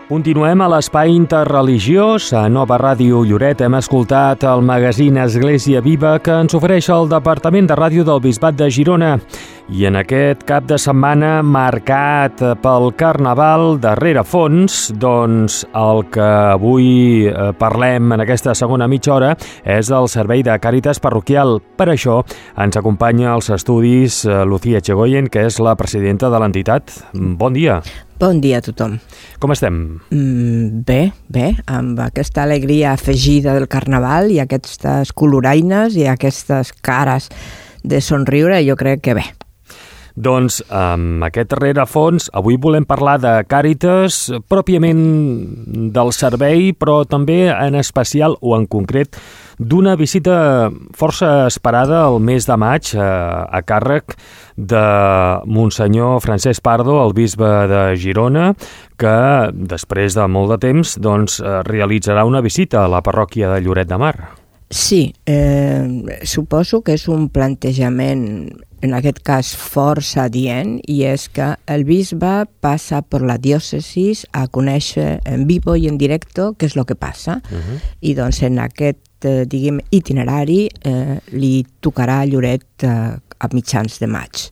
Continuem a l'Espai Interreligiós. A Nova Ràdio Lloret hem escoltat el magazín Església Viva que ens ofereix el Departament de Ràdio del Bisbat de Girona. I en aquest cap de setmana marcat pel Carnaval de Rerefons, doncs el que avui parlem en aquesta segona mitja hora és el servei de Càritas parroquial. Per això ens acompanya als estudis Lucía Echegoyen, que és la presidenta de l'entitat. Bon dia. Bon dia a tothom. Com estem? Bé, amb aquesta alegria afegida del Carnaval i aquestes coloraines i aquestes cares de somriure, jo crec que bé. Doncs amb aquest rerefons avui volem parlar de Càritas, pròpiament del servei, però també en especial o en concret d'una visita força esperada el mes de maig a càrrec de Monsenyor Francesc Pardo, el bisbe de Girona, que després de molt de temps doncs, realitzarà una visita a la parròquia de Lloret de Mar. Sí, suposo que és un plantejament, en aquest cas força adient, i és que el bisbe passa per la diòcesis a conèixer en vivo i en directo què és el que passa. I doncs en aquest itinerari li tocarà a Lloret a mitjans de maig.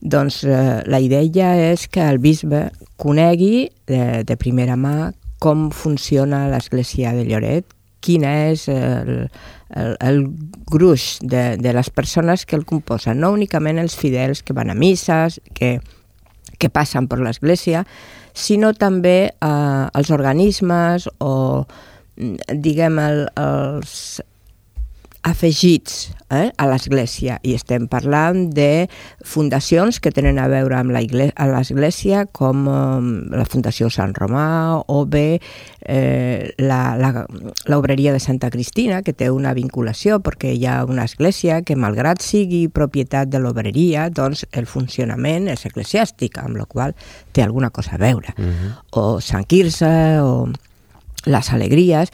Doncs la idea és que el bisbe conegui de primera mà com funciona l'església de Lloret, quin és el gruix de les persones que el composen, no únicament els fidels que van a misses, que passen per l'església, sinó també els organismes o, diguem, els afegits a l'església. I estem parlant de fundacions que tenen a veure amb l'església, com la Fundació Sant Romà o bé l'obreria de Santa Cristina, que té una vinculació perquè hi ha una església que, malgrat sigui propietat de l'obreria, doncs el funcionament és eclesiàstic, amb la qual té alguna cosa a veure. O Sant Quirze, o les alegries.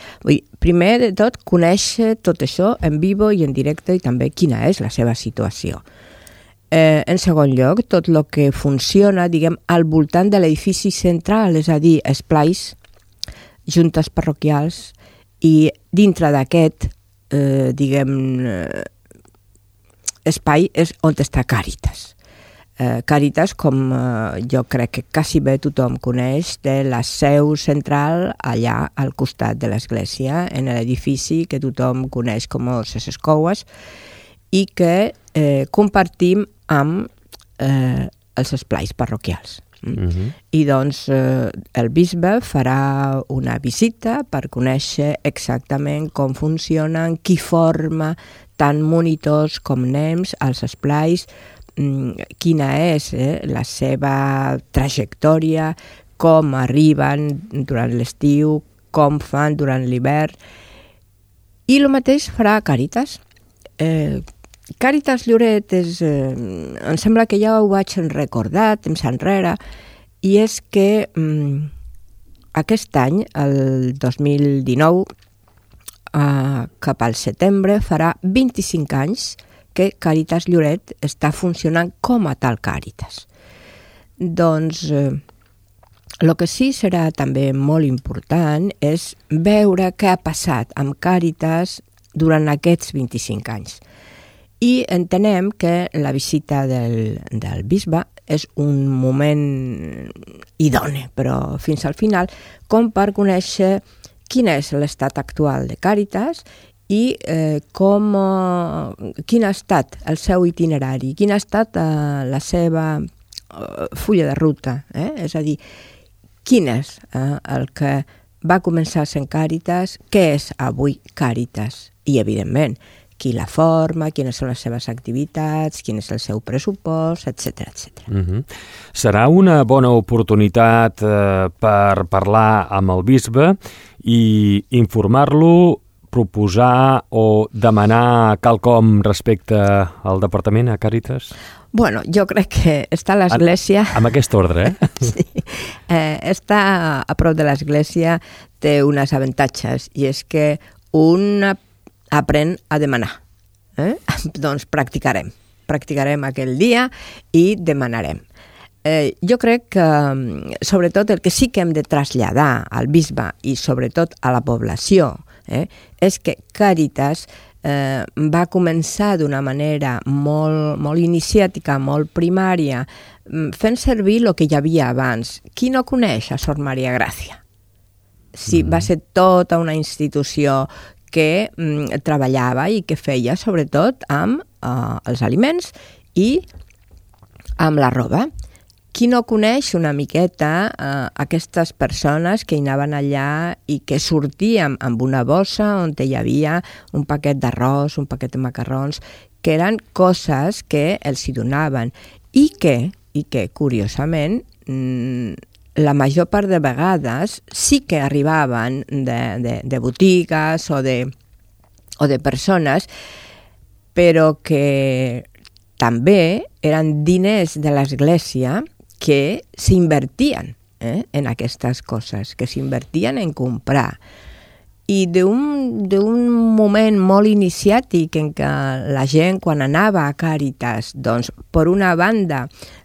Primer de tot, conèixer tot això en vivo i en directe i també quina és la seva situació. En segon lloc, tot el que funciona, diguem, al voltant de l'edifici central, és a dir, esplais, juntes parroquials, i dintre d'aquest, diguem, espai és on està Càritas. Càritas, com jo crec que quasi bé tothom coneix, té la seu central allà al costat de l'església, en l'edifici que tothom coneix com ses escoues i que compartim amb els esplais parroquials. I doncs el bisbe farà una visita per conèixer exactament com funcionen, qui forma tant monitors com nens als esplais, quina és la seva trajectòria, com arriben durant l'estiu, com fan durant l'hivern. I el mateix farà Càritas. Càritas Lloret em sembla que ja ho vaig recordar temps enrere, i és que aquest any, el 2019, cap al setembre, farà 25 anys que Càritas Lloret està funcionant com a tal Càritas. Doncs el que sí serà també molt important és veure què ha passat amb Càritas durant aquests 25 anys. I entenem que la visita del bisbe és un moment idoni, però fins al final, com per conèixer quin és l'estat actual de Càritas i quin ha estat el seu itinerari, quin ha estat la seva fulla de ruta. És a dir, quin és el que va començar sent Càritas, què és avui Càritas i, evidentment, qui la forma, quines són les seves activitats, quin és el seu pressupost, etc. Serà una bona oportunitat per parlar amb el bisbe i informar-lo, proposar o demanar quelcom respecte al departament, a Càritas? Bueno, jo crec que està a l'església... Amb aquest ordre, Sí. Estar a prop de l'església té uns avantatges, i és que un aprèn a demanar. Doncs practicarem aquell dia i demanarem. jo crec que, sobretot, el que sí que hem de traslladar al bisbe i sobretot a la població és que Càritas va començar d'una manera molt iniciàtica, molt primària, fent servir el que hi havia abans. Qui no coneix a Sor Maria Gràcia? Sí, va ser tota una institució que treballava i que feia sobretot amb els aliments i amb la roba. Qui no coneix una miqueta aquestes persones que hi anaven allà i que sortien amb una bossa on hi havia un paquet d'arròs, un paquet de macarrons, que eren coses que els hi donaven i que curiosament, la major part de vegades sí que arribaven de botigues o de persones, però que també eren diners de l'Església que s'invertien en aquestes coses, que s'invertien en comprar. I d'un moment molt iniciàtic en què la gent, quan anava a Càritas, doncs, per una banda,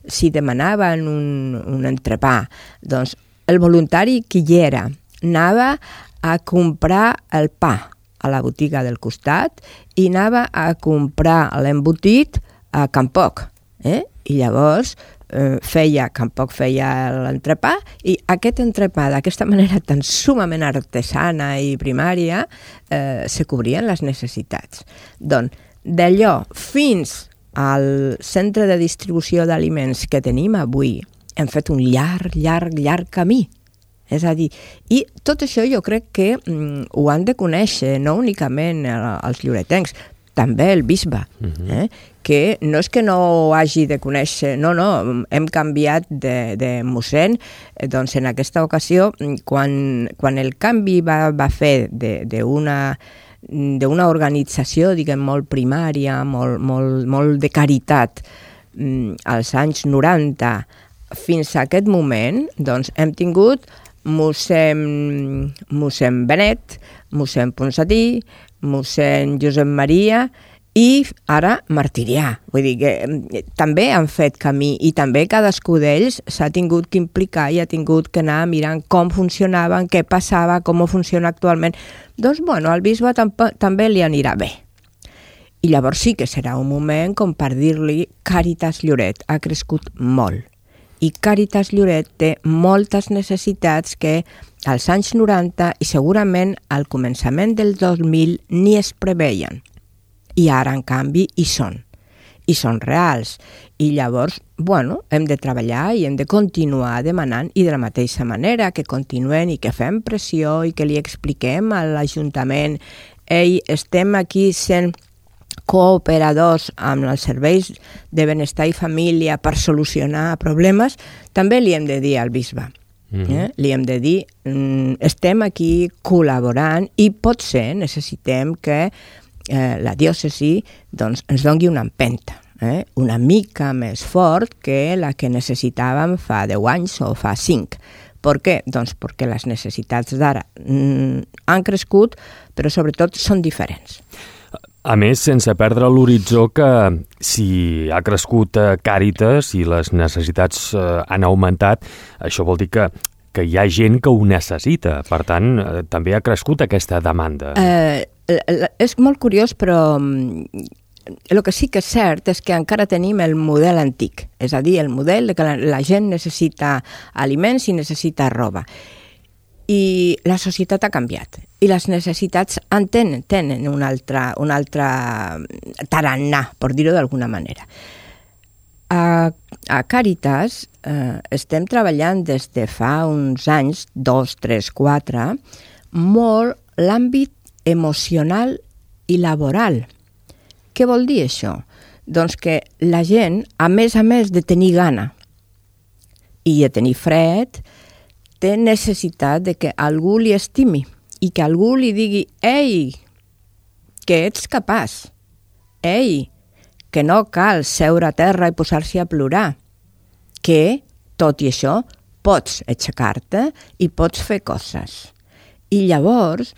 si demanaven un entrepà, doncs, el voluntari que hi era anava a comprar el pa a la botiga del costat i anava a comprar l'embotit a Can Poc. I llavors Can Poc feia l'entrepà i aquest entrepà d'aquesta manera tan sumament artesana i primària se cobrien les necessitats. Doncs d'allò fins al centre de distribució d'aliments que tenim avui hem fet un llarg camí. És a dir, i tot això jo crec que ho han de conèixer, no únicament els lloretencs, també el bisbe, que no és que no ho hagi de conèixer, no, hem canviat de mossèn, doncs en aquesta ocasió, quan el canvi va fer d'una organització, diguem, molt primària, molt de caritat, als anys 90, fins a aquest moment, doncs hem tingut mossèn Benet, mossèn Ponsatí, mossèn Josep Maria i ara Martirià. Vull dir que també han fet camí i també cadascú d'ells s'ha tingut que implicar i ha tingut que anar mirant com funcionaven, què passava, com funciona actualment. Doncs, al bisbe també li anirà bé. I llavors sí que serà un moment com per dir-li Càritas Lloret ha crescut molt. I Càritas Lloret té moltes necessitats que als anys 90 i segurament al començament del 2000 ni es preveien. I ara, en canvi, hi són. I són reals. I llavors, hem de treballar i hem de continuar demanant i de la mateixa manera que continuen i que fem pressió i que li expliquem a l'Ajuntament estem aquí sent cooperadors amb els serveis de benestar i família per solucionar problemes, també li hem de dir al bisbe. Li hem de dir, estem aquí col·laborant i potser necessitem que la diòcesi ens doni una empenta, una mica més fort que la que necessitàvem fa 10 anys o fa 5. Per què? Doncs perquè les necessitats d'ara han crescut, però sobretot són diferents. A més, sense perdre l'horitzó que si ha crescut Càritas i les necessitats han augmentat, això vol dir que hi ha gent que ho necessita. Per tant, també ha crescut aquesta demanda. És molt curiós, però el que sí que és cert és que encara tenim el model antic, és a dir, el model que la gent necessita aliments i necessita roba. I la societat ha canviat i les necessitats tenen un altre tarannà, per dir-ho d'alguna manera. A Càritas estem treballant des de fa uns anys, 2, 3, 4, molt l'àmbit emocional i laboral. Què vol dir això? Doncs que la gent, a més de tenir gana i de tenir fred, té necessitat de que algú li estimi i que algú li digui «Ei, que ets capaç! Ei, que no cal seure a terra i posar-se a plorar! Que, tot i això, pots aixecar-te i pots fer coses». I llavors,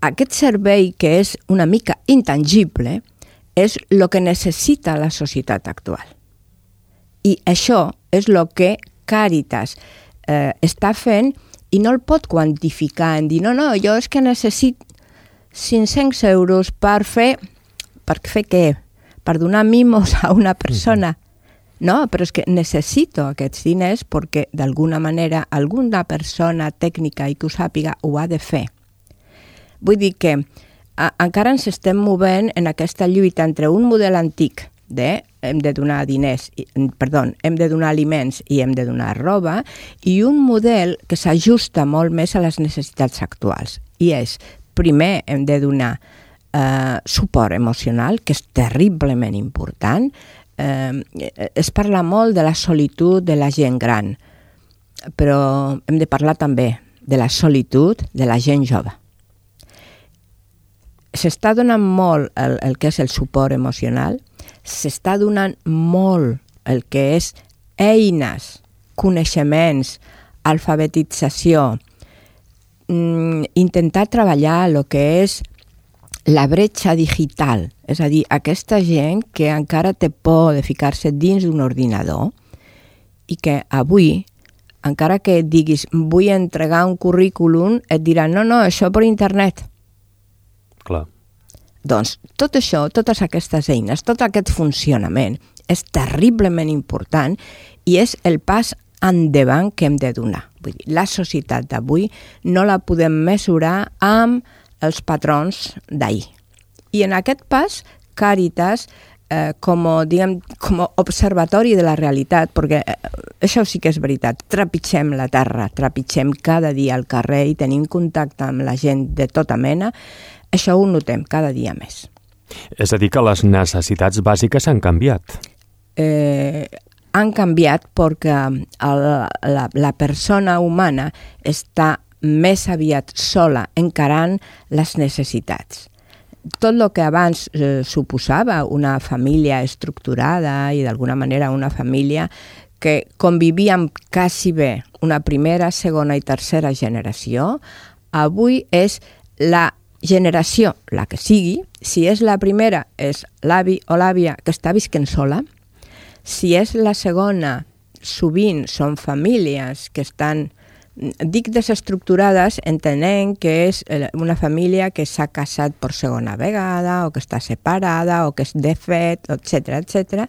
aquest servei que és una mica intangible és el que necessita la societat actual. I això és el que Càritas està fent i no el pot quantificar en dir, no, jo és que necessito 500 euros per fer què? Per donar mimos a una persona. No, però és que necessito aquests diners perquè d'alguna manera alguna persona tècnica i que ho sàpiga ho ha de fer. Vull dir que encara ens estem movent en aquesta lluita entre un model antic hem de donar hem de donar aliments i hem de donar roba, i un model que s'ajusta molt més a les necessitats actuals. I és, primer hem de donar suport emocional, que és terriblement important. Es parla molt de la solitud de la gent gran, però hem de parlar també de la solitud de la gent jove. S'està donant molt el que és el suport emocional, s'està donant molt el que és eines, coneixements, alfabetització, intentar treballar el que és la bretxa digital, és a dir, aquesta gent que encara té por de ficar-se dins d'un ordinador i que avui, encara que diguis vull entregar un currículum, et diran no, això per internet. Clar. Doncs tot això, totes aquestes eines, tot aquest funcionament és terriblement important i és el pas endavant que hem de donar. Vull dir, la societat d'avui no la podem mesurar amb els patrons d'ahir. I en aquest pas, Càritas, com observatori de la realitat, perquè això sí que és veritat, trepitgem la terra, trepitgem cada dia al carrer i tenim contacte amb la gent de tota mena, això ho notem cada dia més. És a dir, que les necessitats bàsiques han canviat. Han canviat perquè la persona humana està més aviat sola encarant les necessitats. Tot el que abans suposava una família estructurada i d'alguna manera una família que convivia amb quasi bé una primera, segona i tercera generació, avui és la generació, la que sigui. Si és la primera, és l'avi o l'àvia que està visquent sola. Si és la segona, sovint són famílies que estan, dic desestructurades, entenent que és una família que s'ha casat per segona vegada o que està separada o que és de fet, etc.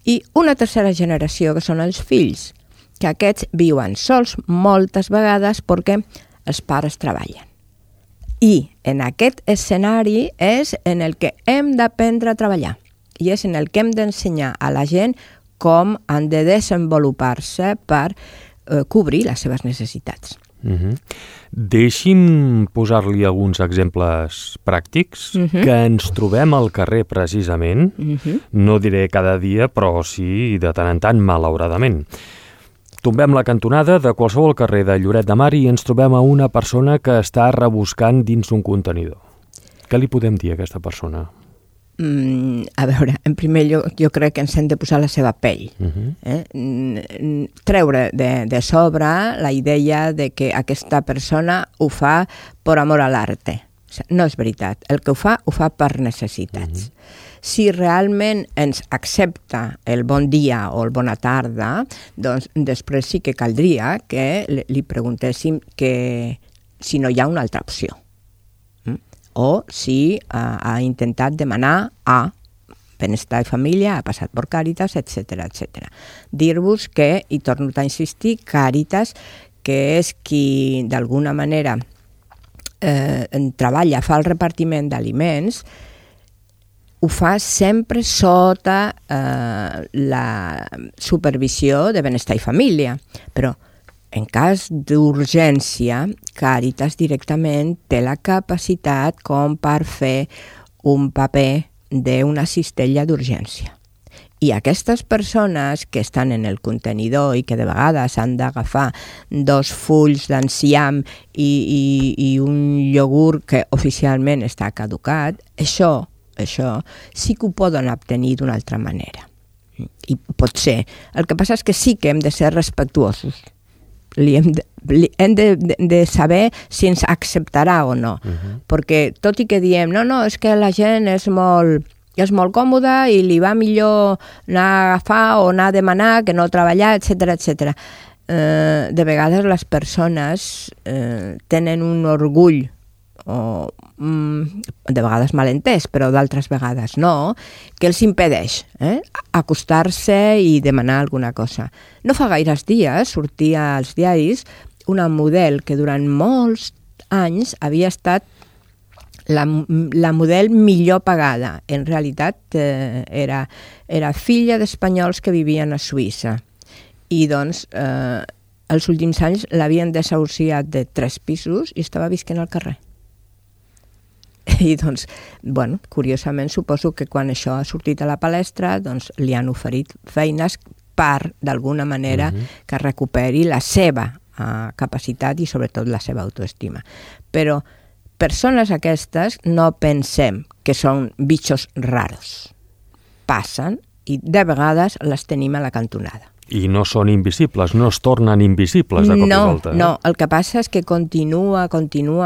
I una tercera generació, que són els fills, que aquests viuen sols moltes vegades perquè els pares treballen. I en aquest escenari és en el que hem d'aprendre a treballar i és en el que hem d'ensenyar a la gent com han de desenvolupar-se per cobrir les seves necessitats. Deixi'm posar-li alguns exemples pràctics que ens trobem al carrer precisament, no diré cada dia, però sí de tant en tant, malauradament. Tombem la cantonada de qualsevol carrer de Lloret de Mar i ens trobem a una persona que està rebuscant dins un contenidor. Què li podem dir a aquesta persona? A veure, en primer lloc, jo crec que ens hem de posar la seva pell. Treure de sobre la idea de que aquesta persona ho fa per amor a l'arte. No és veritat. El que ho fa per necessitats. Si realment ens accepta el bon dia o el bona tarda, doncs després sí que caldria que li preguntéssim si no hi ha una altra opció. O si ha intentat demanar a Benestar i Família, ha passat per Càritas, etc. Dir-vos que, i torno a insistir, Càritas, que és qui d'alguna manera treballa, fa el repartiment d'aliments, ho fa sempre sota la supervisió de Benestar i Família, però en cas d'urgència, Càritas directament té la capacitat com per fer un paper d'una cistella d'urgència. I aquestes persones que estan en el contenidor i que de vegades han d'agafar 2 fulls d'enciam i un iogurt que oficialment està caducat, això sí que ho poden obtenir d'una altra manera. I pot ser. El que passa és que sí que hem de ser respectuosos. Hem de saber si ens acceptarà o no. Perquè tot i que diem, no, és que la gent és molt és molt còmode i li va millor anar a agafar o anar a demanar que no treballar, etc. De vegades les persones tenen un orgull, o de vegades malentès, però d'altres vegades no, que els impedeix acostar-se i demanar alguna cosa. No fa gaires dies sortia als diaris una model que durant molts anys havia estat la model millor pagada. En realitat era filla d'espanyols que vivien a Suïssa i doncs els últims anys l'havien desahuciat de 3 pisos i estava visquent al carrer. I doncs, bueno, curiosament suposo que quan això ha sortit a la palestra doncs li han oferit feines per, d'alguna manera, que recuperi la seva capacitat i sobretot la seva autoestima. Però persones aquestes no pensem que són bitxos raros. Passen i de vegades les tenim a la cantonada. I no són invisibles, no es tornen invisibles de cop i volta. No, el que passa és que continua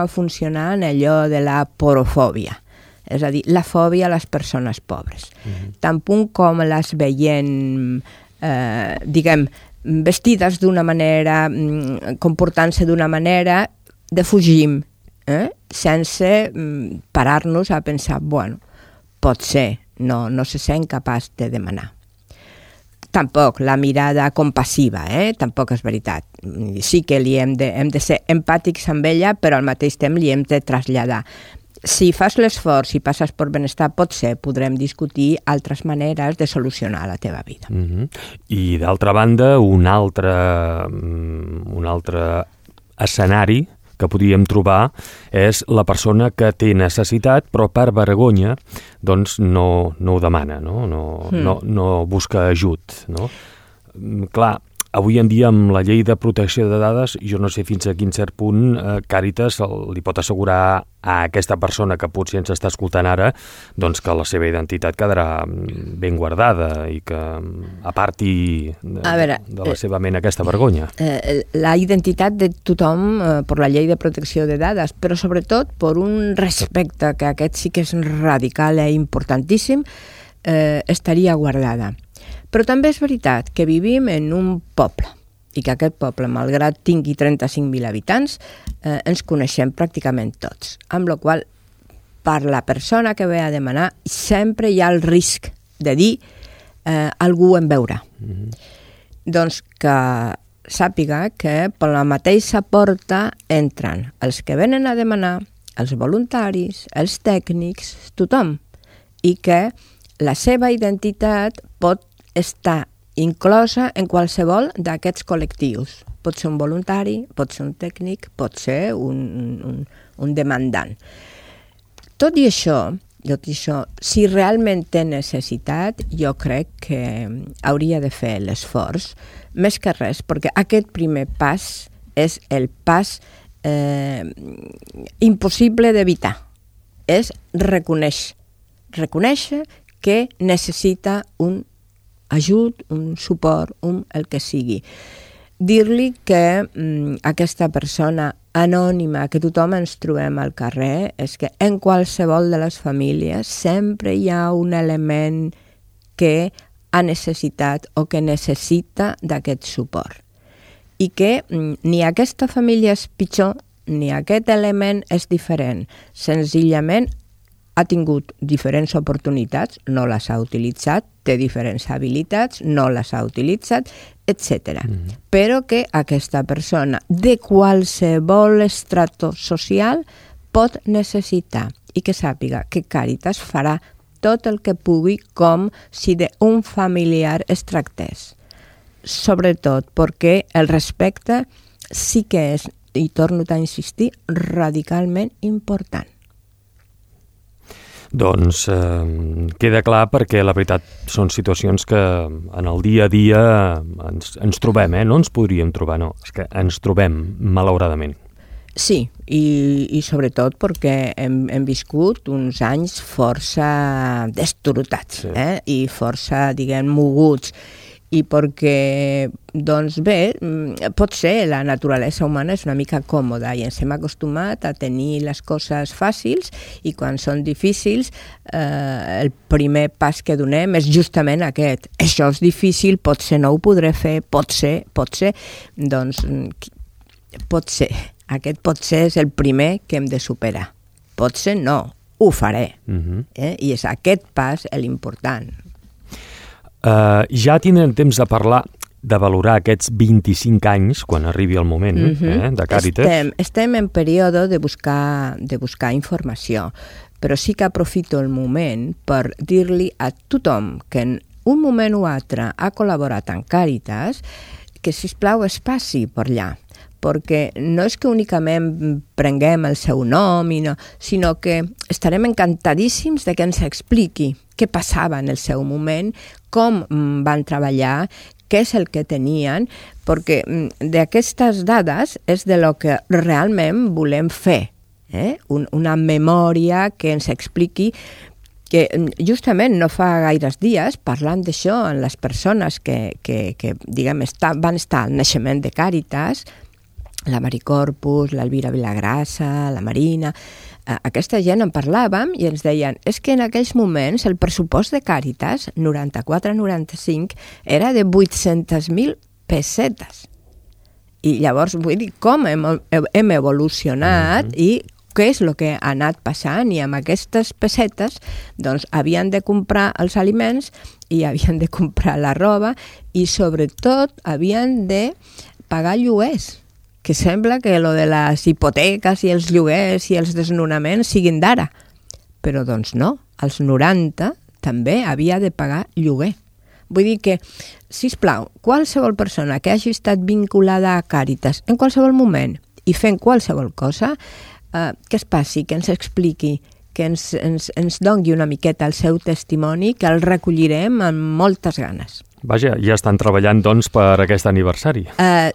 funcionant allò de la porofòbia, és a dir, la fòbia a les persones pobres. Tant punt com les veiem, vestides d'una manera, comportant-se d'una manera, defugim, sense parar-nos a pensar, bueno, pot ser, no se sent capaç de demanar. Tampoc la mirada compassiva, tampoc és veritat. Sí que hem de ser empàtics amb ella, però al mateix temps li hem de traslladar. Si fas l'esforç i passes per benestar, potser podrem discutir altres maneres de solucionar la teva vida. I d'altra banda, un altre escenari que podríem trobar és la persona que té necessitat però per vergonya doncs no ho demana, no busca ajut. No? Clar, avui en dia amb la llei de protecció de dades jo no sé fins a quin cert punt Càritas li pot assegurar a aquesta persona que potser ens està escoltant ara doncs que la seva identitat quedarà ben guardada i que aparti de la seva ment aquesta vergonya. La identitat de tothom per la llei de protecció de dades, però sobretot per un respecte que aquest sí que és radical i importantíssim, estaria guardada. Però també és veritat que vivim en un poble i que aquest poble, malgrat tingui 35.000 habitants, ens coneixem pràcticament tots. Amb la qual cosa, per la persona que ve a demanar, sempre hi ha el risc de dir algú em veurà. Doncs que sàpiga que per la mateixa porta entren els que venen a demanar, els voluntaris, els tècnics, tothom, i que la seva identitat pot estar inclosa en qualsevol d'aquests col·lectius. Pot ser un voluntari, pot ser un tècnic, pot ser un demandant. Tot i això, si realment té necessitat, jo crec que hauria de fer l'esforç, més que res, perquè aquest primer pas és el pas impossible d'evitar. És reconèixer que necessita un ajut, un suport, el que sigui. Dir-li que aquesta persona anònima que tothom ens trobem al carrer és que en qualsevol de les famílies sempre hi ha un element que ha necessitat o que necessita d'aquest suport. I que ni aquesta família és pitjor ni aquest element és diferent. Senzillament ha tingut diferents oportunitats, no les ha utilitzat, té diferents habilitats, no les ha utilitzat, etc. Però que aquesta persona de qualsevol estrato social pot necessitar i que sàpiga que Càritas farà tot el que pugui com si d'un familiar es tractés. Sobretot perquè el respecte sí que és, i torno a insistir, radicalment important. Doncs queda clar perquè la veritat són situacions que en el dia a dia ens trobem, no ens podríem trobar, no, és que ens trobem, malauradament. Sí, i sobretot perquè hem viscut uns anys força destrotats, i força, moguts, i perquè, doncs bé, potser la naturalesa humana és una mica còmoda i ens hem acostumat a tenir les coses fàcils i quan són difícils el primer pas que donem és justament aquest. Això és difícil, potser no ho podré fer, potser, doncs potser. Aquest potser és el primer que hem de superar. Potser no, ho faré. I és aquest pas l'important. Ja tindrem temps de parlar, de valorar aquests 25 anys, quan arribi el moment de Càritas. Estem en període de buscar informació, però sí que aprofito el moment per dir-li a tothom que en un moment o altre ha col·laborat amb Càritas que, sisplau, es passi per allà, perquè no és que únicament prenguem el seu nom, sinó que estarem encantadíssims de que ens expliqui què passava en el seu moment, com van treballar, què és el que tenien, perquè d'aquestes dades és de lo que realment volem fer, una memòria que ens expliqui que justament no fa gaires dies, parlant d'això amb les persones que diguem, van estar al naixement de Càritas, la Mari Corpus, l'Elvira Vilagrassa, la Marina, aquesta gent en parlàvem i ens deien és que en aquells moments el pressupost de Càritas, 94-95, era de 800.000 pessetes. I llavors, vull dir, com hem evolucionat i què és el que ha anat passant, i amb aquestes pessetes doncs havien de comprar els aliments i havien de comprar la roba i sobretot havien de pagar lloguers, que sembla que lo de les hipoteques i els lloguers i els desnonaments siguin d'ara. Però doncs no, als 90 també havia de pagar lloguer. Vull dir que, sisplau, qualsevol persona que hagi estat vinculada a Càritas en qualsevol moment i fent qualsevol cosa, que es passi, que ens expliqui, que ens doni una miqueta el seu testimoni, que el recollirem amb moltes ganes. Vaja, ja estan treballant, doncs, per aquest aniversari.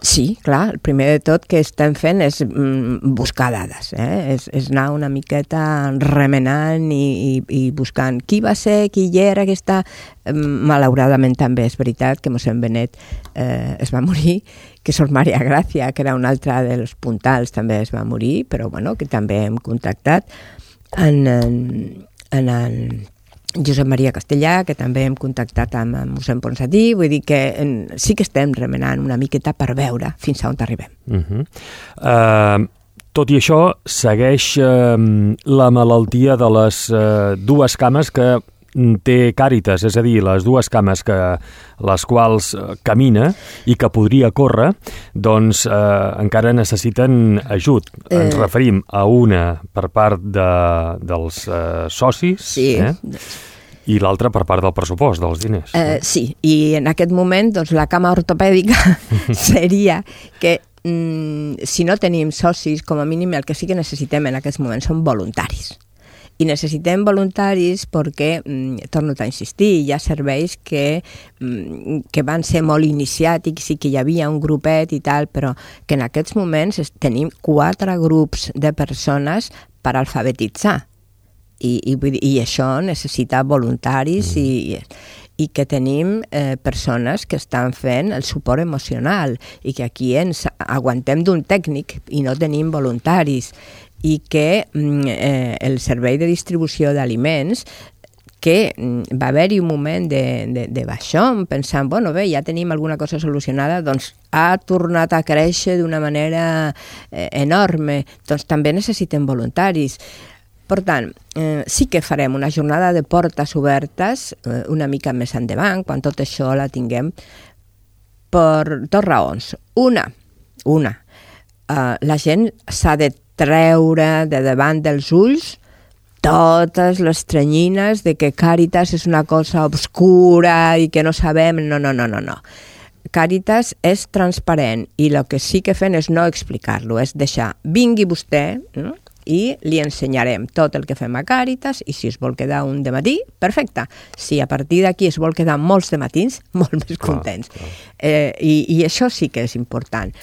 Sí, clar, el primer de tot que estem fent és buscar dades, és anar una miqueta remenant i buscant qui va ser, qui hi era, aquesta... Malauradament també és veritat que mossèn Benet es va morir, que Sor Maria Gràcia, que era una altra dels puntals, també es va morir, però bueno, que també hem contactat en Josep Maria Castellà, que també hem contactat amb mossèn Ponsatí, vull dir que sí que estem remenant una miqueta per veure fins a on arribem. Tot i això, segueix la malaltia de les dues cames que té Càritas, és a dir, les dues cames les quals camina i que podria córrer, doncs encara necessiten ajut. Ens referim a una per part dels socis, sí. I l'altra per part del pressupost, dels diners. Sí, i en aquest moment doncs, la cama ortopèdica seria que si no tenim socis, com a mínim el que sí que necessitem en aquests moments són voluntaris. I necessitem voluntaris perquè, torno a insistir, hi ha serveis que van ser molt iniciàtics i que hi havia un grupet i tal, però que en aquests moments tenim 4 grups de persones per alfabetitzar. I això necessita voluntaris i que tenim persones que estan fent el suport emocional i que aquí ens aguantem d'un tècnic i no tenim voluntaris i que el servei de distribució d'aliments, que va haver-hi un moment de baixón, pensant, bueno, bé, ja tenim alguna cosa solucionada, doncs ha tornat a créixer d'una manera enorme, doncs també necessitem voluntaris. Per tant, sí que farem una jornada de portes obertes una mica més endavant, quan tot això la tinguem, per 2 raons. Una, la gent s'ha de treure de davant dels ulls totes les tranyines de que Càritas és una cosa obscura i que no sabem, no. Càritas és transparent i el que sí que fem és no explicar-lo, és deixar, vingui vostè, no? I li ensenyarem tot el que fem a Càritas i si es vol quedar un dematí, perfecte. Si a partir d'aquí es vol quedar molts dematins, molt més contents. I això sí que és important.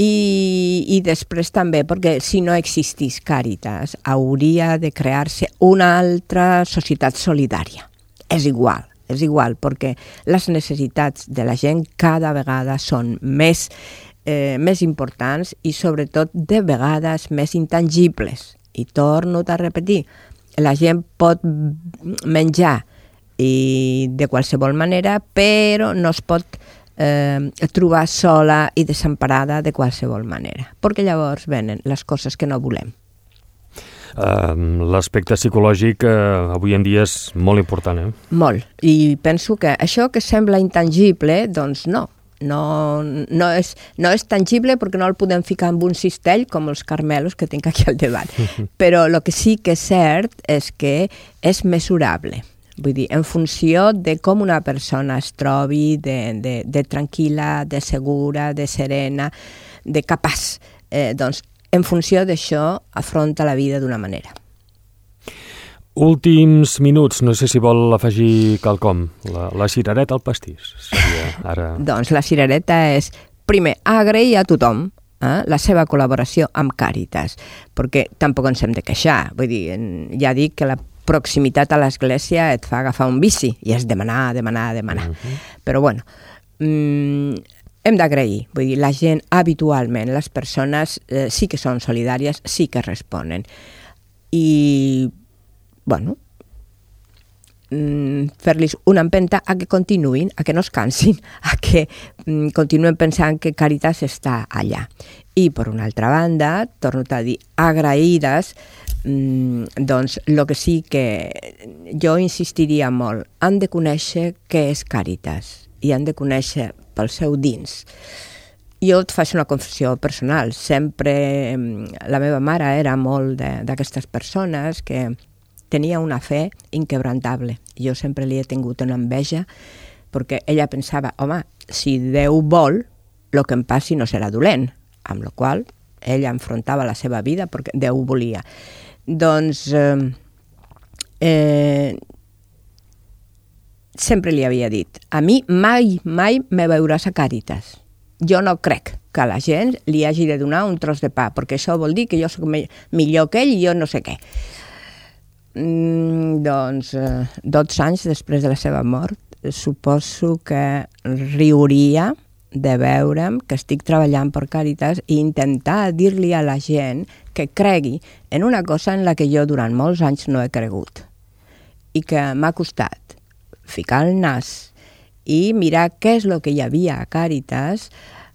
I després també, perquè si no existís Càritas, hauria de crear-se una altra societat solidària. És igual, és igual, perquè les necessitats de la gent cada vegada són més importants i sobretot de vegades més intangibles. I torno a repetir, la gent pot menjar de qualsevol manera, però no es pot trobar sola i desemparada de qualsevol manera, perquè llavors venen les coses que no volem. L'aspecte psicològic avui en dia és molt important, Molt, i penso que això que sembla intangible, doncs no és tangible perquè no el podem ficar en un cistell com els carmelos que tinc aquí al davant, però el que sí que és cert és que és mesurable. Vull dir, en funció de com una persona es trobi, de tranquil·la, de segura, de serena, de capaç, doncs en funció d'això afronta la vida d'una manera. Últims minuts, no sé si vol afegir quelcom. La cirereta al pastís seria ara... Doncs la cirereta és, primer, agrair a tothom la seva col·laboració amb Càritas, perquè tampoc ens hem de queixar. Vull dir, ja dic que la proximitat a l'església et fa agafar un bici i és demanar. Però bueno, hem d'agrair. Vull dir, la gent habitualment, les persones sí que són solidàries, sí que responen. I, bueno, fer-los una empenta a que continuïn, a que no es cansin, a que continuen pensant que Càritas està allà. I, per una altra banda, torno a dir, agraïdes, doncs el que sí que jo insistiria molt, han de conèixer què és Càritas i han de conèixer pel seu dins. Jo et faig una confessió personal, sempre la meva mare era molt d'aquestes persones que tenia una fe inquebrantable. Jo sempre li he tingut una enveja perquè ella pensava, home, si Déu vol, el que em passi no serà dolent, amb la qual ella enfrontava la seva vida perquè Déu volia. Doncs sempre li havia dit, a mi mai me veuràs a Càritas. Jo no crec que a la gent li hagi de donar un tros de pa, perquè això vol dir que jo soc millor que ell i jo no sé què. Doncs 12 anys després de la seva mort, suposo que riuria de veure'm que estic treballant per Càritas i intentar dir-li a la gent que cregui en una cosa en la que jo durant molts anys no he cregut i que m'ha costat ficar el nas i mirar què és el que hi havia a Càritas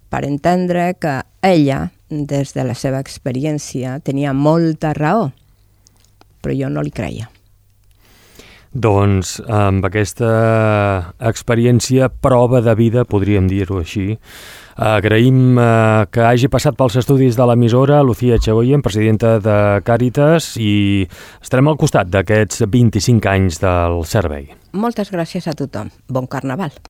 per entendre que ella, des de la seva experiència, tenia molta raó, però jo no li creia. Doncs amb aquesta experiència, prova de vida, podríem dir-ho així, agraïm que hagi passat pels estudis de l'emissora Lucía Echegoyen, presidenta de Càritas, i estarem al costat d'aquests 25 anys del servei. Moltes gràcies a tothom. Bon Carnaval.